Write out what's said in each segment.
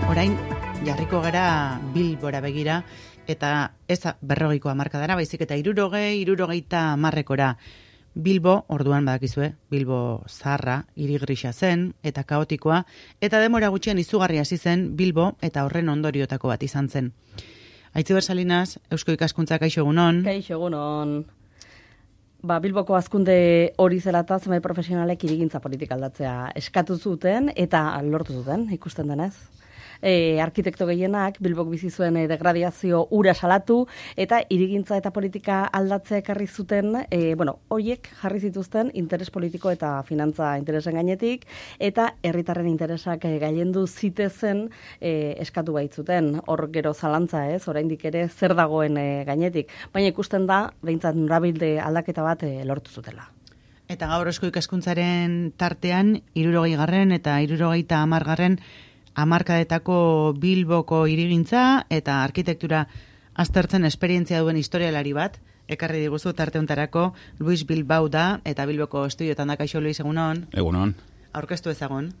Orain jarriko gara Bilbora begira, eta ez 40ko hamarkadara, baizik eta 60-70 Bilbo, orduan badakizue, Bilbo zaharra, hiri grisa zen, eta kaotikoa, eta denbora gutxian izugarria hasi zen Bilbo, eta horren ondoriotako bat izan zen. Aitziber Salinas, Eusko Ikaskuntza, kaixo egunon. Kaixo egunon. Bilboko hazkunde hori zelata zenbait profesionalek hirigintza politika aldatzea eskatu zuten eta lortu zuten, ikusten denez. Arkitekto gehienak Bilbok bizi zuen degradiazio ura salatu eta hirigintza eta politika aldatzea ekarri zuten, hoiek jarri zituzten interes politiko eta finantza interesen gainetik eta herritarren interesak gailendu zitezen eskatu baitzuten. Hor gero zalantza ez, oraindik ere zer dagoen gainetik, baina ikusten da behintzat norabilde aldaketa bat lortu zutela. Eta gaur Eusko Ikaskuntzaren tartean 60. eta 70. hamarkadetako Bilboko hirigintza eta arkitektura aztertzen esperientzia duen historialari bat, ekarri diguzu tarte hontarako, Luis Bilbao da, eta Bilboko estudiotan da. Kaixo Luis, egunon? Egunon. Aurkeztu ezagun.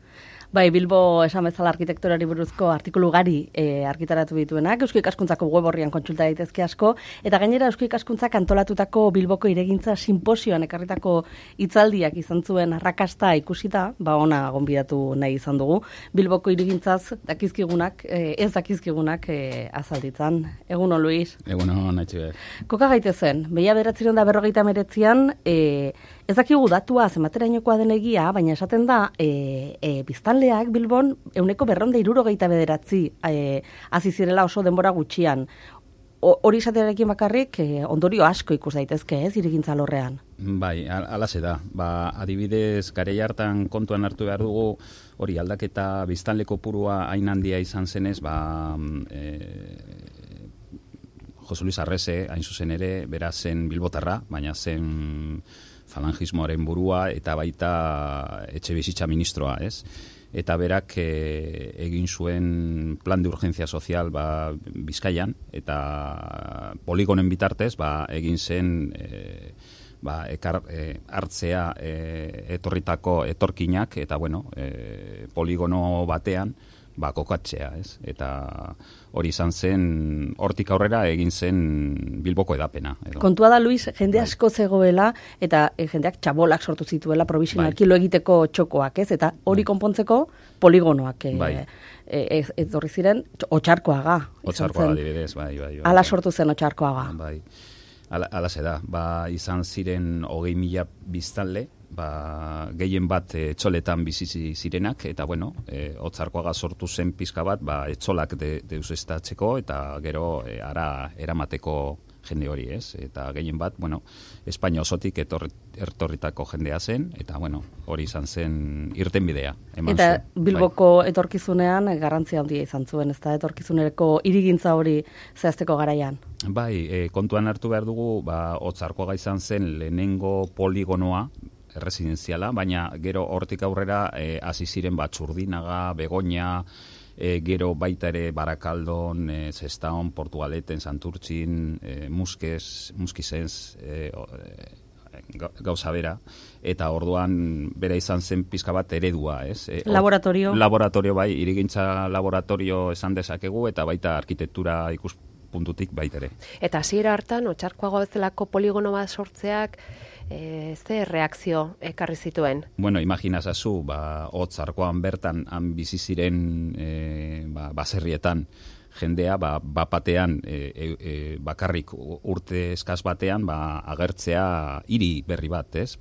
Bilbo esan bezala arkitekturari buruzko artikulu gari argitaratu dituenak, Eusko Ikaskuntzako web orrian kontsulta daitezke asko, eta gainera Eusko Ikaskuntzak antolatutako Bilboko hirigintza simposioan ekarritako hitzaldiak izan zuen arrakasta ikusita, ona gonbidatu nahi izan dugu. Bilboko hirigintzaz dakizkigunak, ez dakizkigunak azalditzan. Egunon, Luis. Egunon, Aitziber. Koka gaitezen, 1959an, ez dakigu datua zenbaterainokoa den egia, baina esaten da biztanleak Bilbon 269 hasi zirela oso denbora gutxian. Hori izatearekin bakarrik ondorio asko ikus daitezke, ez, hirigintza lorrean. Bai, alaxe da. Adibidez, garai hartan kontuan hartu behar dugu, hori aldaketa biztanle kopurua hain handia izan zenez, Jose Luis Arrese, hain zuzen ere, bera zen bilbotarra, baina zen falangismoaren burua eta baita etxebizitza ministroa, ez? Eta berak egin zuen plan de urgencia sozial Bizkaian, eta poligonen bitartez egin zen hartzea etorritako etorkinak, eta poligono batean kokatzea, ez? Eta hori izan zen, hortik aurrera egin zen Bilboko edapena. Kontua da, Luis, jende asko zegoela, eta jendeak txabolak sortu zituela provisionalki lo egiteko txokoak, ez? Eta hori konpontzeko poligonoak etorri ziren Otxarkoaga. Otxarkoaga, adibidez, bai. Hala sortu zen Otxarkoaga. Bai, hala ze da. Izan ziren 20.000 biztanle, gehien bat etxoletan bizi zirenak, eta Otxarkoaga sortu zen pizka bat, etxolak deusestatzeko, eta gero eramateko jende hori, ez? Eta gehien bat, Espainia osotik etorritako jendea zen, eta hori izan zen irtenbidea. Eta Bilboko etorkizunean garrantzia handia izan zuen, ez da, etorkizuneko hirigintza hori zehazteko garaian? Bai, kontuan hartu behar dugu, Otxarkoaga izan zen lehenengo poligonoa, residenziala, baina gero hortik aurrera hasi ziren Txurdinaga, Begoña, gero baita ere Barakaldon, Zestaon, Portugaleten, Santurtzin, Muskizens, gauza bera, eta orduan bera izan zen pizka bat eredua, ez? Laboratorio. Laboratorio, bai, hirigintza laboratorio esan dezakegu, eta baita arkitektura ikuspuntutik baita ere. Eta hasiera hartan, Otxarkoaga bezalako poligono bat sortzeak, ze reakzio ekarri zituen? Imaginazazu, Otxarkoan bertan han bizi ziren baserrietan jendea, batean bakarrik urte eskaz batean agertzea hiri berri bat, ez?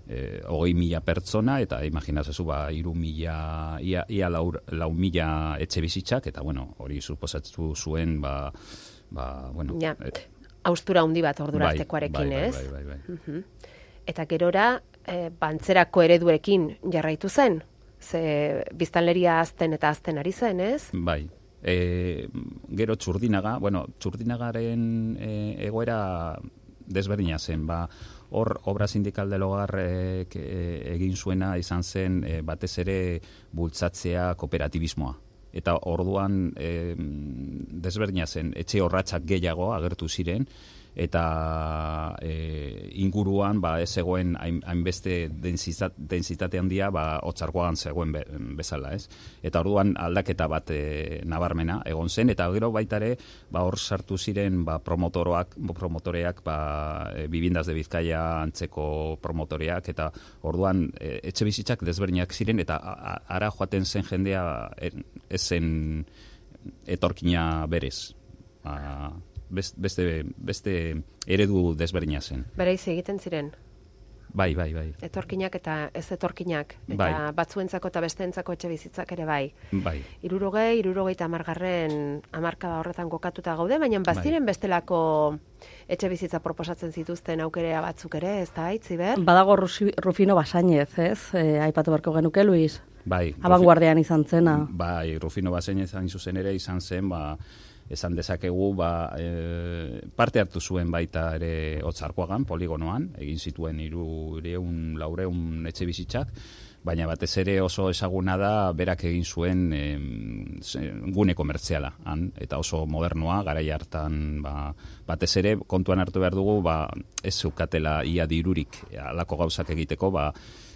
20.000 pertsona, eta imaginazazu 3.000, ia 4.000 etxe bizitzak, eta hori suposatu zuen haustura handi bat ordura artekoarekin, ez? Bai. Eta gerora, bantzerako ereduekin jarraitu zen? Ze biztanleria azten eta azten ari zen, ez? Bai. Gero Txurdinaga, Txurdinagaren egoera desberdina zen, hor obra sindikal del hogar egin zuena izan zen batez ere bultzatzea kooperatibismoa. Eta orduan desberdina zen, etxe horratxak gehiago agertu ziren, eta inguruan ez zegoen hainbeste densitate handia Otzarkoagan zegoen bezala, ez? Eta orduan aldaketa bat nabarmena egon zen, eta gero baita ere hor sartu ziren promotoreak Viviendas de Bizkaia antzeko promotoreak, eta orduan etxe bizitzak desberdinak ziren, eta ara joaten zen jendea ez zen etorkina berez. Beste eredu desberdina zen. Bereiz egiten ziren? Bai. Etorkinak eta ez etorkinak, eta batzuentzako eta besteentzako etxe bizitzak ere bai. 60-70 hamarkada horretan kokatuta gaude, baina baziren bestelako etxe bizitza proposatzen zituzten aukerea batzuk ere, ez da, Itziber? Badago Rufino Basainez, ez? Aipatu beharko genuke, Luis? Bai. Abanguardian izan zena. Bai, Rufino Basainez hain zuzen ere izan zen, esan dezakegu, parte hartu zuen baita ere Otzarkoagan, poligonoan, egin zituen 300-400 etxe bizitzak, baina batez ere oso ezaguna da berak egin zuen gune komertziala, eta oso modernoa, garai hartan batez ere kontuan hartu behar dugu, ez zeukatela ia dirurik alako gauzak egiteko,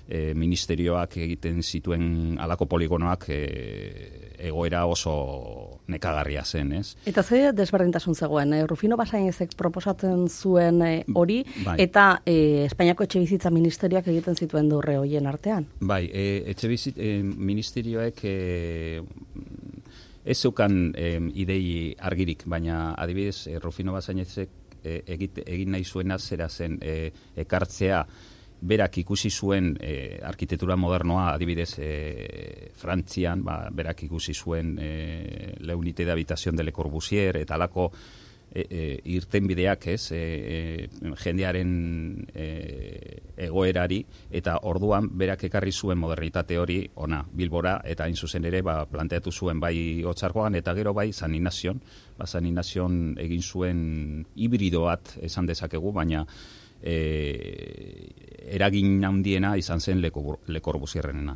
ministerioak egiten zituen alako poligonoak egoera oso nekagarria zen, ez? Eta ze desberdintasun zegoen, Rufino Basainezek proposatzen zuen hori, eta Espainiako etxebizitza ministerioak egiten zituen durre hoien artean? Bai, etxebizitza ministerioek ez zeukan idei argirik, baina adibidez Rufino Basainezek egin nahi zuena zera zen ekartzea berak ikusi zuen arkitektura modernoa, adibidez Frantzian, berak ikusi zuen La Unité d'Habitation de Le Corbusier, eta alako irtenbideak, ez, jendearen egoerari, eta orduan berak ekarri zuen modernitate hori ona Bilbora, eta hain zuzen ere planteatu zuen bai Otzarkoagan, eta gero bai San Ignazion, San Ignazion egin zuen hibrido bat esan dezakegu, baina eragin handiena izan zen Le Corbusierrenena.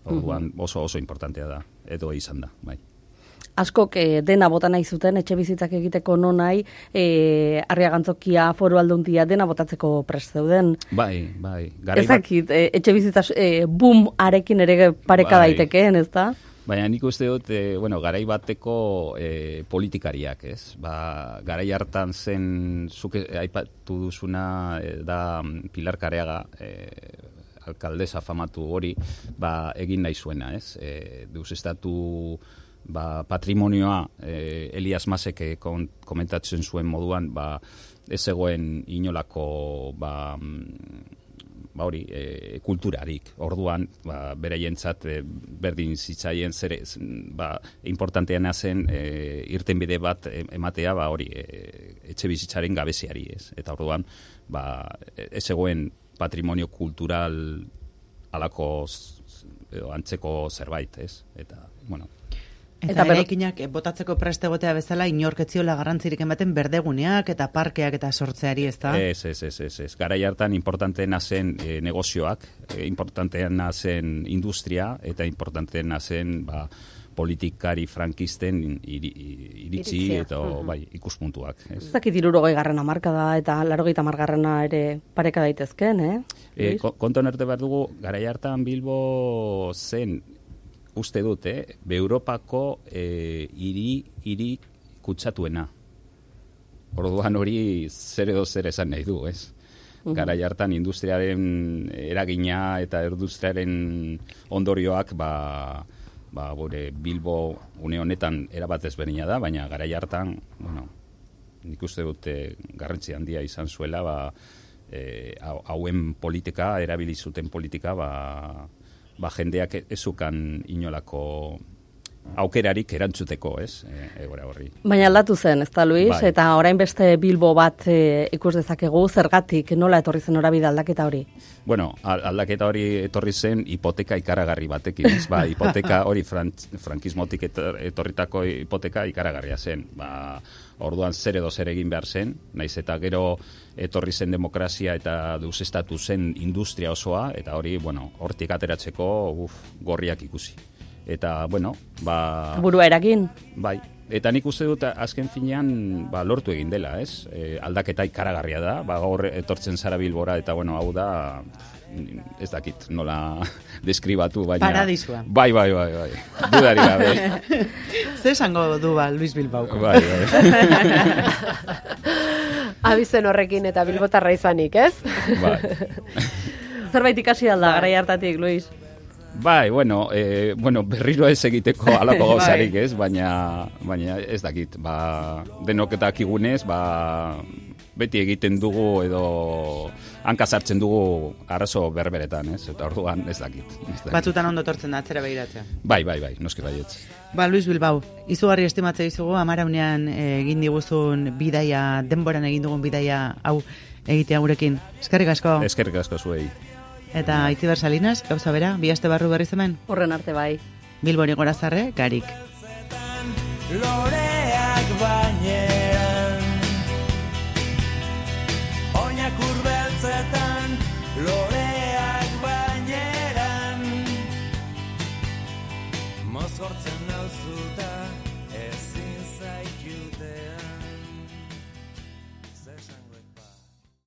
Orduan oso importantea da, edo izan da, bai. Askok dena bota nahi zuten, etxe bizitzak egiteko nonai, Arriagantzokia, Foru Aldundia, dena botatzeko prest zeuden. Bai. Ezakit, etxe bizitzaz boom arekin ere pareka daitekeen, ez da? Baina nik uste dut, garai bateko politikariak, ez? Garai hartan zen, zuke aipatu duzuna, da Pilar Kareaga, alkaldesa famatu hori, egin nahi zuena, ez? Deusestatu patrimonioa, Elias Masek komentatzen zuen moduan, ez zegoen inolako kulturarik. Orduan, beraientzat berdin zitzaien importanteana zen irtenbide bat ematea etxe bizitzaren gabeziari, ez. Eta orduan, ez zegoen patrimonio kultural alako antzeko zerbait, ez. Eta, Eta eraikinak botatzeko preste egotea bezala inorketziola garrantzirik ematen berdeguneak eta parkeak eta sortzeari, ez da? Ez. Garai hartan importanteena zen negozioak, importanteena zen industria, eta importanteena zen politikari frankisten iritzi eta ikuspuntuak. Ez dakit 60. hamarkada eta 80. hamargarrena ere pareka daitezken, Kontuan arte behar dugu, garai hartan Bilbo zen, uste dut, Europako hiri kutsatuena. Orduan hori zer edo zer esan nahi du, ez? Garai hartan industriaren eragina eta industriaren ondorioak Bilbo une honetan erabat ezberdina da, baina garai hartan, nik uste dut garrantzi handia izan zuela, hauen politika, erabili zuten politika, jendeak ezukan inolako aukerarik erantzuteko, ez, egora horri. Baina aldatu zen, ez da, Luis? Eta orain beste Bilbo bat ikus dezakegu, zergatik, nola etorri zen norabide aldaketa hori? Bueno, aldaketa hori etorri zen hipoteka ikaragarri batekin, ez? Hipoteka hori frankismotik etorritako hipoteka ikaragarria zen. Orduan zer edo zer egin behar zen, naiz eta gero etorri zen demokrazia eta deusestatu zen industria osoa, eta hori, hortik ateratzeko gorriak ikusi. Eta, burua eragin? Bai, Eta nik uste dut azken finean lortu egin dela, ez? Aldaketa ikaragarria da, gaur etortzen zara Bilbora, eta bueno, hau da, ez dakit nola deskribatu, baina... Paradisua. Bai. Dudari gabe. Zer esango du Luis Bilbauko? Bai. Abizen horrekin eta bilbotarra izanik, ez? Bai. Zerbait ikasi alda, garai hartatik, Luis? Bai, bueno, berriro ez egiteko alako gauzarik, ez? Baina ez dakit, denok eta kigunez, beti egiten dugu edo hanka sartzen dugu arazo berberetan, ez? Eta orduan ez dakit. Batzutan ondo tortzen da, atzera begiratzea. Bai, noski baietz. Luis Bilbao, izugarri estimatze dizugu, Amaraunean egin diguzun bidaia, denboran egin dugun bidaia hau egitea gurekin. Eskerrik asko. Eskerrik asko zuei. Eta Itziber Salinas, gauza bera, bi aste barru berriz hemen? Horren arte bai. Bilbori Gorazarre, Garik.